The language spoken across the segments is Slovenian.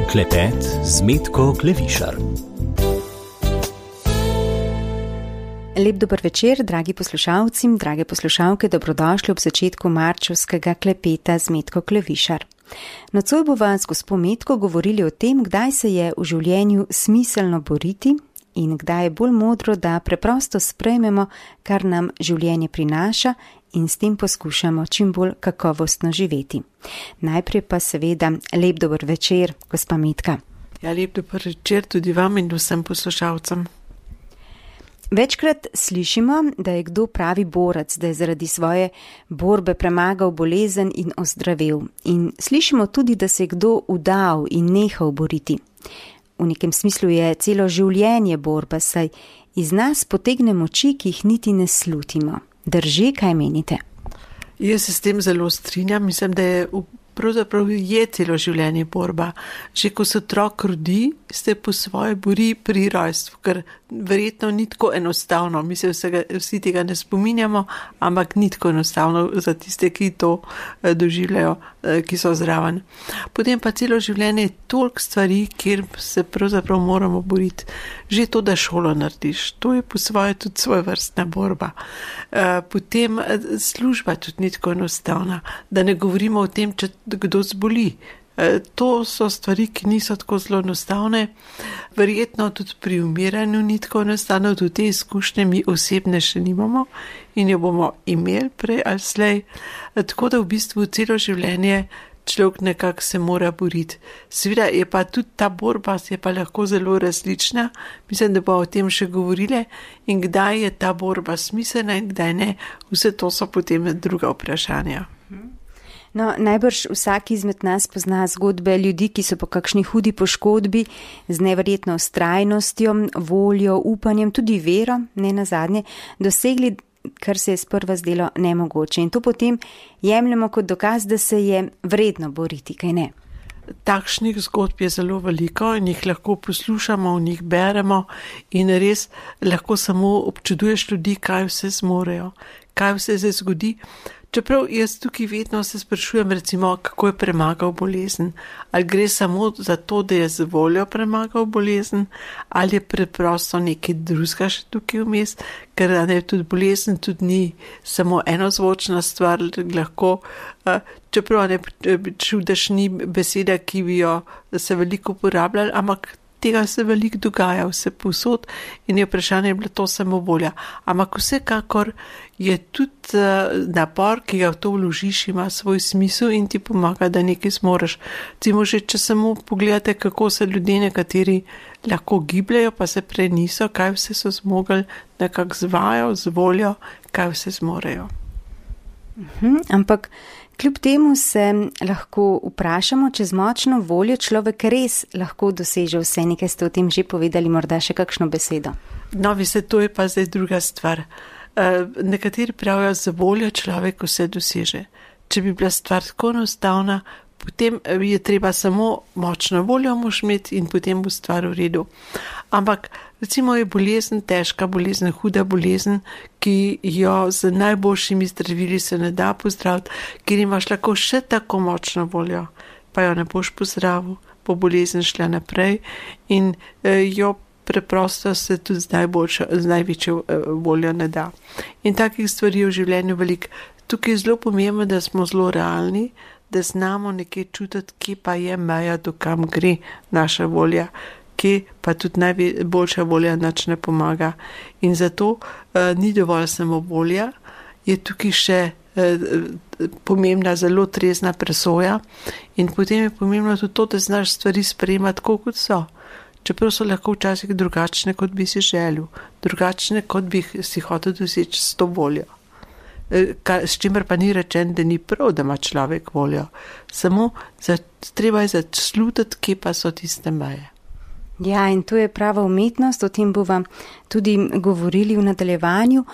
Klepet z Metko Klevišar. Lep dober večer, dragi poslušalci, drage poslušalke, dobrodošli ob začetku marčevskega klepeta z Metko Klevišar. Nocoj bova z gospo Metko govorili o tem, kdaj se je v življenju smiselno boriti in kdaj je bolj modro, da preprosto sprejmemo, kar nam življenje prinaša in s tem poskušamo čim bolj kakovostno živeti. Najprej pa seveda lep dober večer, gospa Metka. Ja, lep dober večer tudi vam in vsem poslušalcem. Večkrat slišimo, da je kdo pravi borec, da je zaradi svoje borbe premagal bolezen in ozdravel. In slišimo tudi, da se je kdo udal in nehal boriti. V nekem smislu je celo življenje borba, saj iz nas potegne moči, ki jih niti ne slutimo. Drži, kaj menite? Jaz se s tem zelo strinjam, mislim, da je pravzaprav je celo življenje borba. Že ko se otrok rodi, se po svoje bori pri rojstvu, ker verjetno ni tako enostavno. Mi se vsi tega ne spominjamo, ampak ni tako enostavno za tiste, ki to doživljajo, ki so zraven. Potem pa celo življenje je toliko stvari, kjer se pravzaprav moramo boriti. Že to, da šolo narediš, to je po svoje tudi svojevrstna borba. Potem služba tudi ni tako enostavna, da ne govorimo o tem, če kdo zboli. To so stvari, ki niso tako zelo enostavne. Verjetno tudi pri umiranju ni tako enostavno, tudi te izkušnje mi osebne še nimamo in jo bomo imeli prej ali slej. Tako da v bistvu celo življenje človek nekako se mora boriti. Seveda je pa tudi ta borba je pa lahko zelo različna. Mislim, da bomo o tem še govorili in kdaj je ta borba smiselna in kdaj ne. Vse to so potem druga vprašanja. No, najbrž vsak izmed nas pozna zgodbe ljudi, ki so po kakšni hudi poškodbi z neverjetno vztrajnostjo, voljo, upanjem, tudi vero, ne nazadnje, dosegli, kar se je sprva zdelo nemogoče. In to potem jemljemo kot dokaz, da se je vredno boriti, kaj ne? Takšnih zgodb je zelo veliko in jih lahko poslušamo, v njih beremo in res lahko samo občuduješ ljudi, kaj vse zmorejo, kaj vse se zgodi. Čeprav jaz tukaj vedno se sprašujem, recimo, kako je premagal bolezen. Ali gre samo za to, da je z voljo premagal bolezen, ali je preprosto nekaj drugega še tukaj vmes, ker ne, tudi bolezen tudi ni samo enozvočna stvar, lahko, čeprav ne čudež ni beseda, ki bi jo se veliko uporabljali, ampak tega se veliko dogaja vse povsod in je vprašanje bilo to samo volja. Ampak vsekakor je tudi napor, ki ga v to vložiš, ima svoj smisel in ti pomaga, da nekaj zmoreš. Recimo že, če samo pogledate, kako se ljudje nekateri lahko gibljajo, pa se prej niso, kaj vse so zmogli, nekako z vajo, z voljo, kaj vse zmorejo. Ampak kljub temu se lahko vprašamo, če z močno voljo človek res lahko doseže vse. Nekaj ste o tem že povedali, morda še kakšno besedo. No, to je pa zdaj druga stvar. Nekateri pravijo, za voljo človek vse doseže. Če bi bila stvar tako enostavna, potem je treba samo močno voljo mož imeti in potem bo stvar v redu. Ampak recimo je bolezen, težka bolezen, huda bolezen, ki jo z najboljšimi zdravili se ne da pozdraviti, ker imaš lahko še tako močno voljo, pa jo ne boš pozdravil, bo bolezen šla naprej in jo preprosto se tudi z največjo voljo ne da. In takih stvari je v življenju veliko. Tukaj je zelo pomembno, da smo zelo realni, da znamo nekaj čutiti, kje pa je meja, do kam gre naša volja, kje pa tudi najboljša volja nič ne pomaga. In zato ni dovolj samo volja, je tukaj še pomembna zelo trezna presoja in potem je pomembno tudi to, da znaš stvari sprejemati tako, kot so. Čeprav so lahko včasih drugačne, kot bi si želel, drugačne, kot bi si hotel doseči s to voljo. S čimer pa ni rečen, da ni prav, da ima človek voljo. Samo treba je začutiti, kje pa so tiste meje. Ja, in to je prava umetnost, o tem bova tudi govorili v nadaljevanju.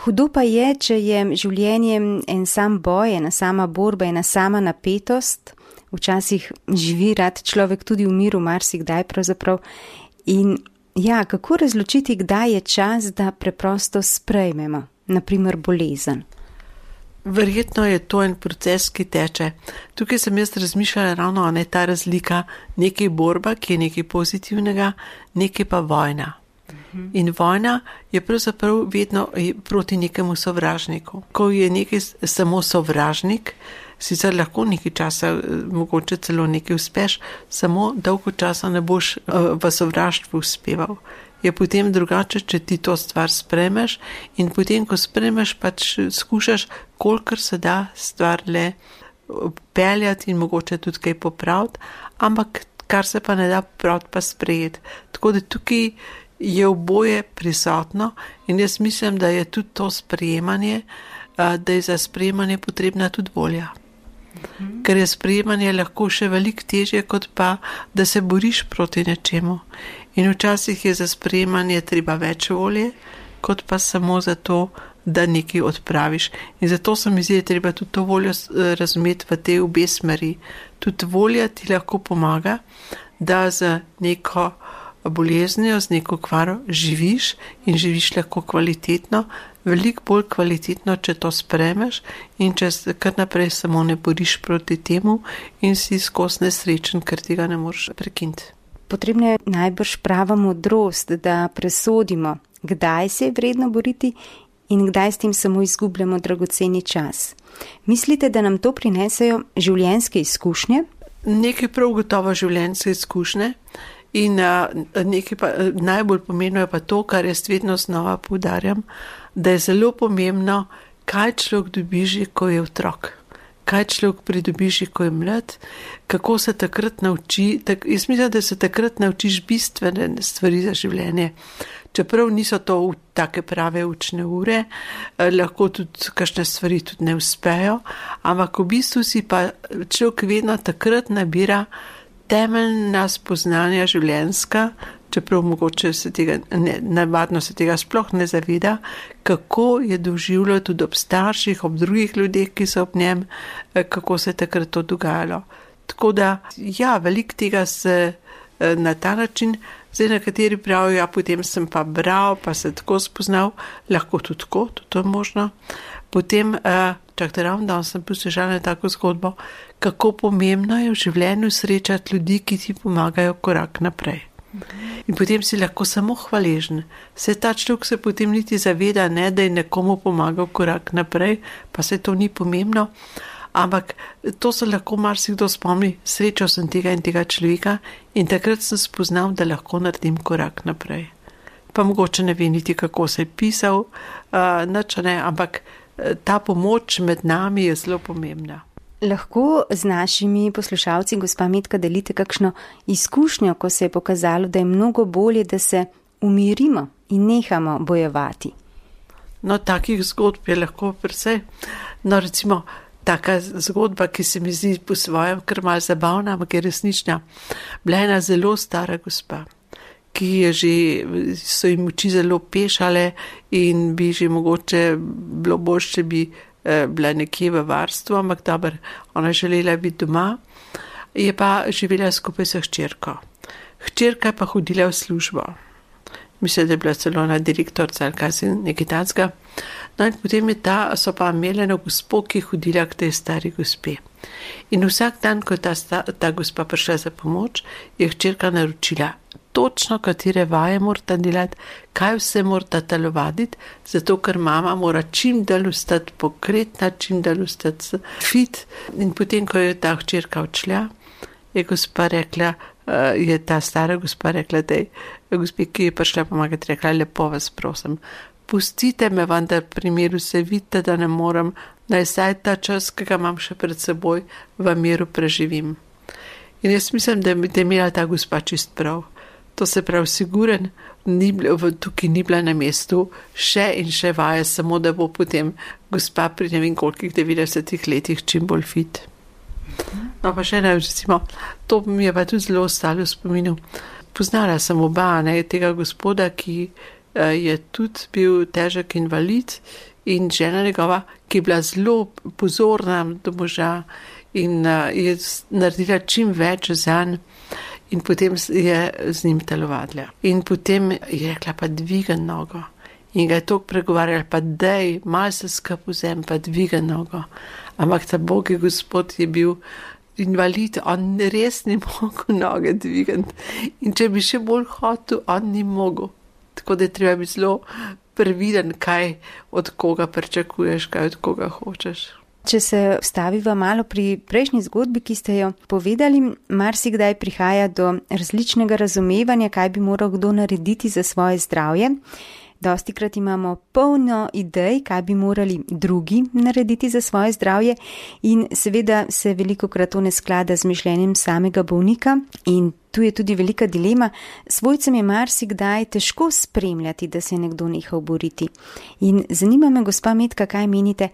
Hudo pa je, če je življenje en sam boj, ena sama borba, ena sama napetost. Včasih živi rad človek tudi v miru, marsikdaj pravzaprav. In ja, kako razločiti, kdaj je čas, da preprosto sprejmemo, naprimer bolezen? Verjetno je to en proces, ki teče. Tukaj sem jaz razmišljala ravno, ne, ta razlika, nekaj borba, ki je nekaj pozitivnega, nekaj pa vojna. In vojna je pravzaprav vedno proti nekemu sovražniku. Ko je nekaj samo sovražnik, sicer lahko nekaj časa, mogoče celo nekaj uspeš, samo dolgo časa ne boš v sovraštvu uspeval. Je potem drugače, če ti to stvar spremeš in potem, ko spremeš, pač skušaš, kolikor se da stvar le peljati in mogoče tudi kaj popraviti, ampak kar se pa ne da popraviti, pa sprejeti. Tako da tukaj je oboje prisotno in jaz mislim, da je tudi to sprejemanje, da je za sprejemanje potrebna tudi volja. Ker je sprejemanje lahko še veliko težje, kot pa, da se boriš proti nečemu. In včasih je za sprejemanje treba več volje, kot pa samo za to, da nekaj odpraviš. In zato se mi zdi, da je treba tudi to voljo razumeti v te obe smeri. Tudi volja ti lahko pomaga, da z neko boleznijo, z neko kvaro živiš in živiš lahko kvalitetno, veliko bolj kvalitetno, če to spremeš in če kar naprej samo ne boriš proti temu in si skozi nesrečen, ker tega ne moreš prekiniti. Potrebna je najbrž prava modrost, da presodimo, kdaj se je vredno boriti in kdaj s tem samo izgubljamo dragoceni čas. Mislite, da nam to prinesejo življenjske izkušnje? Nekaj prav gotovo življenjske izkušnje. In najbolj pomembno je pa to, kar jaz vedno znova poudarjam, da je zelo pomembno, kaj človek dobi, ko je otrok. Kaj človek pridobi, ko je mlad, kako se takrat nauči. Jaz mislim, da se takrat naučiš bistvene stvari za življenje. Čeprav niso to take prave učne ure, lahko tudi kakšne stvari tudi ne uspejo, ampak v bistvu si pa človek vedno takrat nabira temeljna spoznanja življenjska, čeprav mogoče navadno se tega sploh ne zaveda, kako je doživljal tudi ob starših, ob drugih ljudeh, ki so ob njem, kako se je takrat to dogajalo. Tako da, ja, veliko tega se na ta način, zdaj nekateri pravijo, ja, potem sem pa bral, pa se tako spoznal, lahko tudi tako, tudi to je možno. Potem, ravno sem poslušala tako zgodbo, kako pomembno je v življenju srečati ljudi, ki ti pomagajo korak naprej. In potem si lahko samo hvaležen. Se ta človek se potem niti zaveda, ne, da je nekomu pomagal korak naprej, pa se to ni pomembno, ampak to se lahko marsikdo spomni, srečal sem tega in tega človeka in takrat sem spoznal, da lahko naredim korak naprej. Pa mogoče ne ve niti, kako se je pisal, nič ne, ampak ta pomoč med nami je zelo pomembna. Lahko z našimi poslušalci, gospa Metka, delite kakšno izkušnjo, ko se je pokazalo, da je mnogo bolje, da se umirimo in nehamo bojevati? No, takih zgodb je lahko precej. No, recimo, taka zgodba, ki se mi zdi po svojem kar malo zabavna, ampak je resnična. Bila ena zelo stara gospa, ki je že, so jim oči zelo pešale in bi že mogoče bilo bolj, če bi bila nekje v varstvu, ampak dober, ona želela biti doma, je pa živela skupaj s hčerko. Hčerka je pa hodila v službo. Mislim, da je bila celo na direktorca ali kaj si nekaj takega. No in potem so pa imeli eno gospo, ki je hodila k tej stari gospe. In vsak dan, ko je ta gospa prišla za pomoč, je hčerka naročila točno, katere vaje morata delati, kaj vse morata telovaditi, zato ker mama mora čim dalj ostati pokretna, čim dalj ostati fit. In potem, ko je ta hčerka odšla, je gospa rekla, je ta stara gospa rekla, da je gospe, ki je prišla pomagati, rekla, lepo vas prosim, pustite me vendar primeru, se vidite, da ne morem, naj saj ta čas, ki ga imam še pred seboj, v miru preživim. In jaz mislim, da je imela ta gospa čist prav. To se pravi siguren, tukaj ni bila na mestu še in še vaje, samo da bo potem gospa pri ne vem kolikih 90 letih čim bolj fit. No pa še ne, recimo, to mi je pa tudi zelo ostalo v spominu. Poznala sem oba, tega gospoda, ki je tudi bil težek invalid in žena njegova, ki je bila zelo pozorna do moža in je naredila čim več zanj. In potem je z njim telovadila. In potem je rekla, pa dvigam nogo. in ga je toliko pregovarjal, pa dej, malo se skup vzem, pa dviga nogo. Ampak ta Bog je Gospod je bil invalid, on res ni mogel noge dvigati. In če bi še bolj hotel, on ni mogel. Tako da je treba biti zelo previden, kaj od koga pričakuješ, kaj od koga hočeš. Če se vstaviva malo pri prejšnji zgodbi, ki ste jo povedali, marsikdaj prihaja do različnega razumevanja, kaj bi moral kdo narediti za svoje zdravje. Dostikrat imamo polno idej, kaj bi morali drugi narediti za svoje zdravje in seveda se velikokrat to ne sklada z mišljenjem samega bolnika in tu je tudi velika dilema. Svojcem je marsikdaj težko spremljati, da se je nekdo nehal boriti. In zanima me, gospa Metka, kaj menite,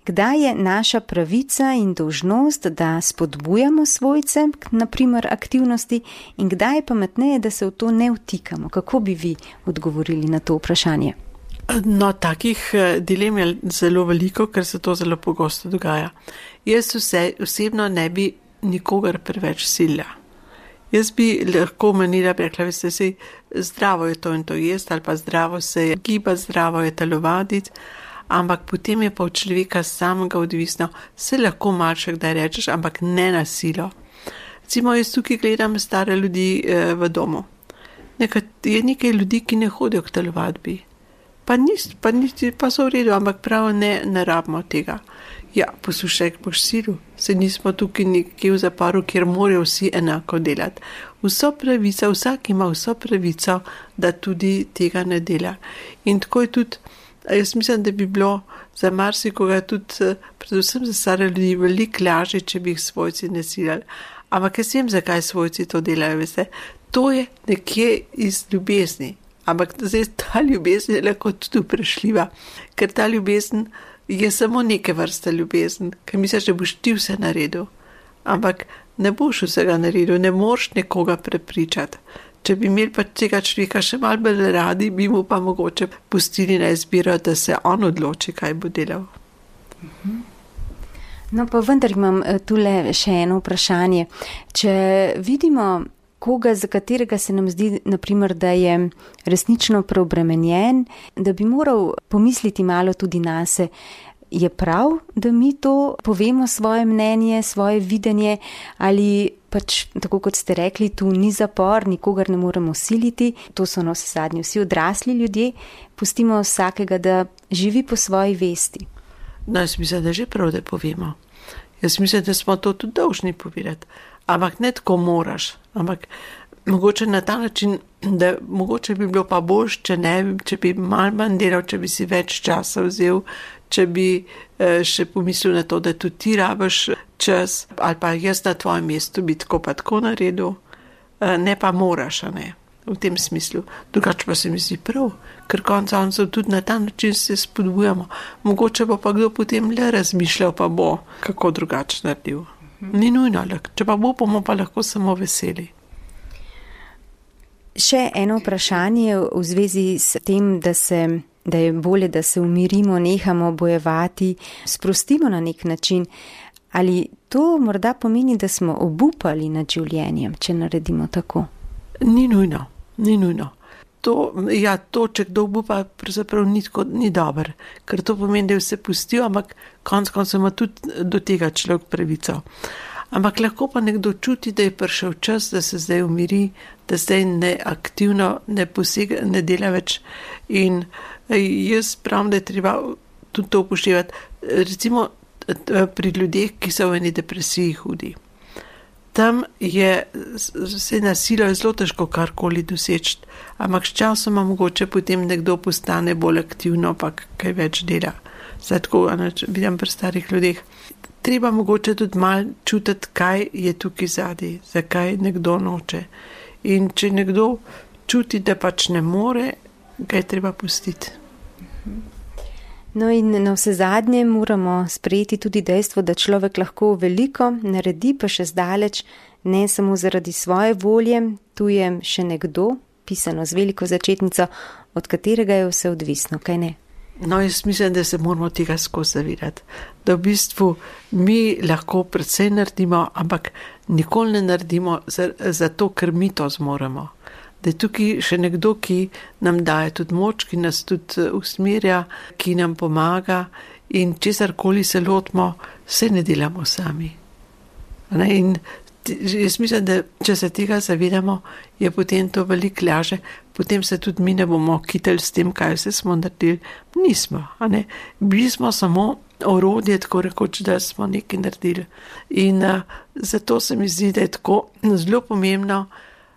kdaj je naša pravica in dolžnost, da spodbujamo svojce, naprimer aktivnosti, in kdaj je pametneje, da se v to ne vtikamo? Kako bi vi odgovorili na to vprašanje? No, takih dilem je zelo veliko, ker se to zelo pogosto dogaja. Jaz osebno ne bi nikogar preveč silila. Jaz bi lahko menila, rekla, veste si, zdravo je to in to jesti, ali pa zdravo se je gibati, zdravo je telovaditi, ampak potem je pa od človeka samega odvisno, se lahko malo še kdaj rečeš, ampak ne na silo. Recimo, jaz tukaj gledam stare ljudi v domu. Je nekaj ljudi, ki ne hodijo k telovadbi. Pa so v redu, ampak prav ne rabimo tega. Ja, poslušaj, boš silu, se nismo tukaj nekje v zaporu, kjer morajo vsi enako delati. Vsak ima vso pravico, da tudi tega ne dela. In tako je tudi, jaz mislim, da bi bilo za marsikoga tudi, predvsem za stare ljudi, veliko lažje, če bi jih svojci ne silali. Ampak jaz vem, zakaj svojci to delajo, veste. To je nekje iz ljubezni. Ampak zdaj ta ljubezen je lahko tudi vprašljiva, ker ta ljubezen je samo neke vrste ljubezen, ker misliš, da boš ti vse naredil. Ampak ne boš vsega naredil, ne moreš nekoga prepričati. Če bi imeli pa tega človeka še malo bolj radi, bi mu pa mogoče pustili na izbiro, da se on odloči, kaj bo delal. No pa vendar imam tule še eno vprašanje. Če vidimo koga, za katerega se nam zdi, naprimer, da je resnično preobremenjen, da bi moral pomisliti malo tudi nase, je prav, da mi to povemo svoje mnenje, svoje videnje, ali pač, tako kot ste rekli, tu ni zapor, nikogar ne moremo siliti, to so navsezadnje vsi odrasli ljudje, pustimo vsakega, da živi po svoji vesti. No, jaz mislim, da že prav, da povemo. Jaz mislim, da smo to tudi dolžni povedati. Ampak ne tako moraš, ampak mogoče na ta način, da mogoče bi bilo pa boljš, če bi malo manj delal, če bi si več časa vzel, če bi še pomislil na to, da tudi ti rabiš čas, ali pa jaz na tvojem mestu bi tako pa tako naredil, ne pa moraš, a ne, v tem smislu. Drugače pa se mi zdi prav, ker konca tudi na ta način se spodbujamo. Mogoče bo pa kdo potem le razmišljal, pa bo kako drugače naredil. Ni nujno, če pa bomo pa lahko samo veseli. Še eno vprašanje v zvezi s tem, da je bolje, da se umirimo, nehamo bojevati, sprostimo na nek način. Ali to morda pomeni, da smo obupali nad življenjem, če naredimo tako? Ni nujno. To, če kdo obupa, pravzaprav ni dober, ker to pomeni, da je vse pustil, ampak konec ima tudi do tega človek pravico. Ampak lahko pa nekdo čuti, da je prišel čas, da se zdaj umiri, da zdaj neaktivno ne posega, ne dela več. In jaz pravim, da je treba tudi to upoštevati. Recimo pri ljudeh, ki so v eni depresiji hudi. Tam je se na silo zelo težko karkoli doseči, ampak s časoma mogoče potem nekdo postane bolj aktivno, pa kaj več dela. Zdaj tako vidim pri starih ljudeh. Treba mogoče tudi malo čutiti, kaj je tukaj zadaj, zakaj nekdo noče. In če nekdo čuti, da pač ne more, ga je treba pustiti. No in na vse zadnje moramo sprejeti tudi dejstvo, da človek lahko veliko naredi, pa še zdaleč, ne samo zaradi svoje volje, tu je še nekdo, pisano z veliko začetnico, od katerega je vse odvisno, kaj ne? No, jaz mislim, da se moramo tega skozi zavedati, da v bistvu mi lahko predvsej naredimo, ampak nikoli ne naredimo zato, ker mi to zmoremo. da je tukaj še nekdo, ki nam daje tudi moč, ki nas tudi usmerja, ki nam pomaga in česarkoli se lotimo, vse ne delamo sami. In jaz mislim, da če se tega zavedamo, je potem to veliko laže, potem se tudi mi ne bomo kitali s tem, kaj vse smo naredili. Nismo, bili smo samo orodje, tako rekoč, da smo nekaj naredili. In zato se mi zdi, da je tako zelo pomembno,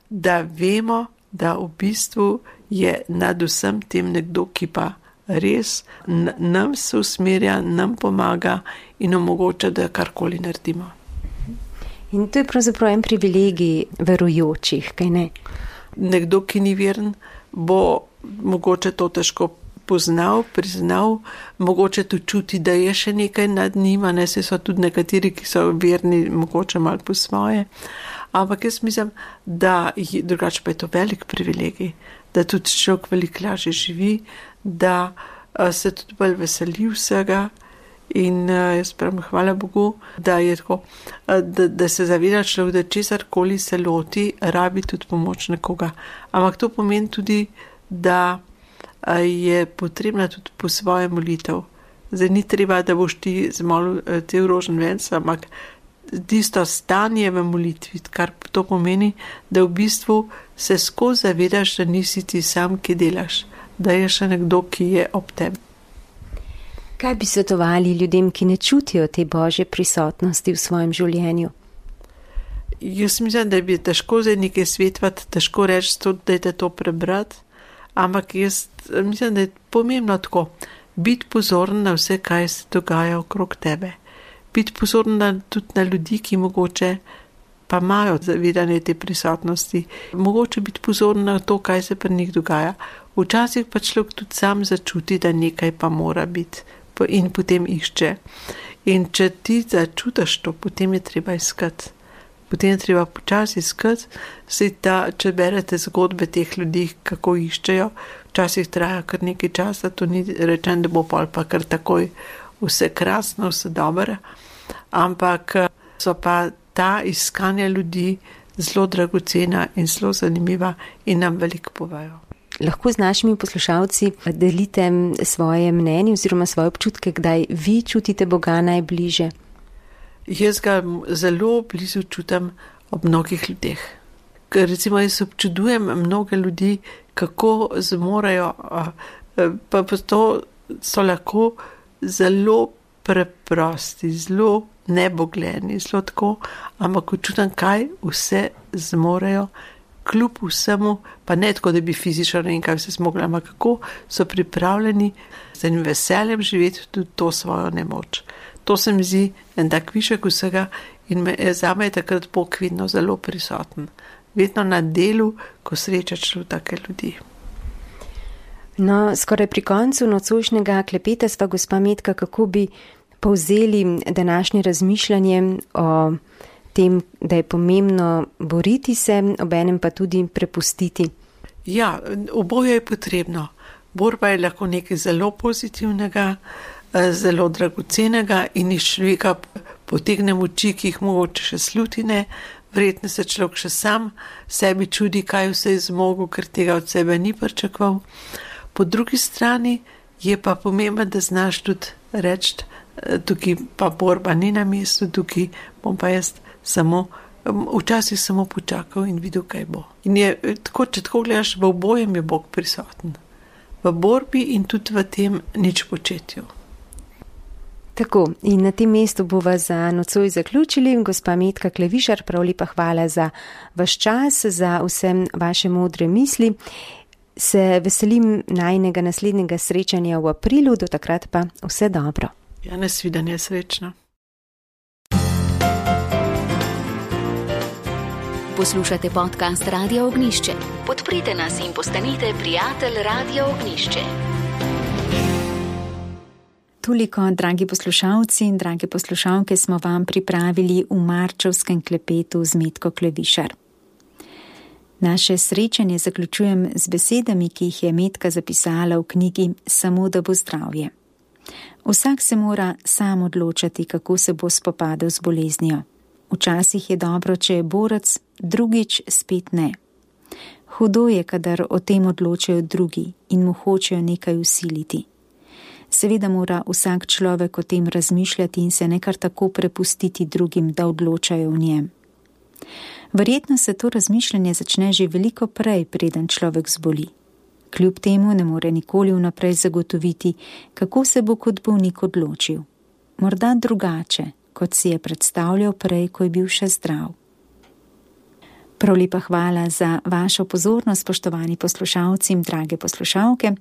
da vemo, da v bistvu je nad vsem tem nekdo, ki pa res nam se usmerja, nam pomaga in omogoča, da karkoli naredimo. In to je pravzaprav en privilegij verujočih, kaj ne? Nekdo, ki ni veren, bo mogoče to težko poznal, priznal, mogoče tudi čuti, da je še nekaj nad njima, se so tudi nekateri, ki so verni, mogoče malo po svoje. Ampak jaz mislim, da drugače pa je to velik privilegij, da tudi človek veliko lažje živi, da se tudi bolj veseli vsega. In jaz pravim, hvala Bogu, da je tako, da se zaveda človek, da česarkoli se loti, rabi tudi pomoč nekoga. Ampak to pomeni tudi, da je potrebna tudi po svoje molitev. Zdaj ni treba, da boš ti zmolil te rožen venc, ampak tisto stanje v molitvi, kar to pomeni, da v bistvu se skozi zavedaš, da nisi ti sam, ki delaš, da je še nekdo, ki je ob tebi. Kaj bi svetovali ljudem, ki ne čutijo te Božje prisotnosti v svojem življenju? Jaz mislim, da bi težko zdaj nekaj svetovati, težko reči, da je to prebrati, ampak jaz mislim, da je pomembno tako, biti pozoren na vse, kaj se dogaja okrog tebe. Biti pozoren tudi na ljudi, ki mogoče pa imajo zavedanje te prisotnosti. Mogoče biti pozoren na to, kaj se pri njih dogaja. Včasih pa človek tudi sam začuti, da nekaj pa mora biti. In potem išče. In če ti začutiš to, potem je treba iskati. Potem je treba počasi iskati. Če berete zgodbe teh ljudi, kako iščejo, včasih traja kar nekaj časa, to ni rečen, da bo pol pa kar takoj vse krasno, vse dobro. Ampak so pa ta iskanja ljudi zelo dragocena in zelo zanimiva in nam veliko povejo. Lahko z našimi poslušalci delite svoje mnenje oziroma svoje občutke, kdaj vi čutite Boga najbliže? Jaz ga zelo blizu čutim ob mnogih ljudeh. Ker recimo jaz občudujem mnoge ljudi, kako zmorejo, pa to so lahko zelo preprosti, zelo nebogljeni, zelo tako, ampak čutim, kaj vse zmorejo, kljub vsemu, pa ne tako, da bi fizično ne vem, kaj vse zmogli, ampak kako so pripravljeni z enim veseljem živeti tudi to svojo nemoč. To se mi zdi en tak višek vsega in zame je takrat Bog vedno zelo prisoten. Vedno na delu, ko srečaš take ljudi. No, skoraj pri koncu nocojšnjega klepeta sva gospa Metka, kako bi povzeli današnje razmišljanje o tem, da je pomembno boriti se, obenem pa tudi prepustiti. Ja, oboje je potrebno. Borba je lahko nekaj zelo pozitivnega, zelo dragocenega in iz človeka potegne moči, ki jih mogoče še slutine, verjetno se človek še sam sebi čudi, kaj vse je zmogel, ker tega od sebe ni pričakoval. Po drugi strani je pa pomembno, da znaš tudi reči, tukaj pa borba ni na mestu, tukaj bom pa jaz včasih samo počakal in videl, kaj bo. In je tako, če tako gledaš, v obojem je Bog prisoten. V borbi in tudi v tem nič početju. Tako, in na tem mestu bova za nocoj zaključili. Gospa Metka Klevišar, prav lepa hvala za vaš čas, za vse vaše modre misli. Se veselim najnega naslednjega srečanja v aprilu, do takrat pa vse dobro. Ja, nasvidenje, srečno. Poslušate podcast Radio Ognjišče. Podprite nas in postanite prijatelj Radio Ognjišče. Toliko, dragi poslušalci in drage poslušalke, smo vam pripravili v marčevskem klepetu z Metko Klevišar. Naše srečanje zaključujem z besedami, ki jih je Metka zapisala v knjigi Samo da bo zdravje. Vsak se mora sam odločati, kako se bo spopadel z boleznijo. Včasih je dobro, če je borec, drugič spet ne. Hudo je, kadar o tem odločajo drugi in mu hočejo nekaj vsiliti. Seveda mora vsak človek o tem razmišljati in se ne kar tako prepustiti drugim, da odločajo o njem. Verjetno se to razmišljanje začne že veliko prej, preden človek zboli. Kljub temu ne more nikoli vnaprej zagotoviti, kako se bo kot bolnik odločil. Morda drugače, kot si je predstavljal prej, ko je bil še zdrav. Prav lepa hvala za vašo pozornost, spoštovani poslušalci in drage poslušalke.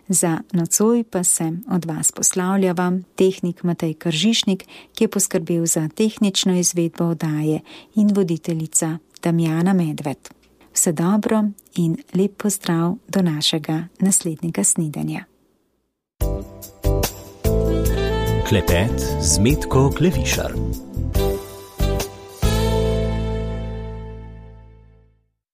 Za nocoj pa se od vas poslavlja vam tehnik Matej Kržišnik, ki je poskrbel za tehnično izvedbo oddaje, in voditeljica Damjana Medved. Vse dobro in lep pozdrav do našega naslednjega snidenja. Klepet z Metko Klevišar.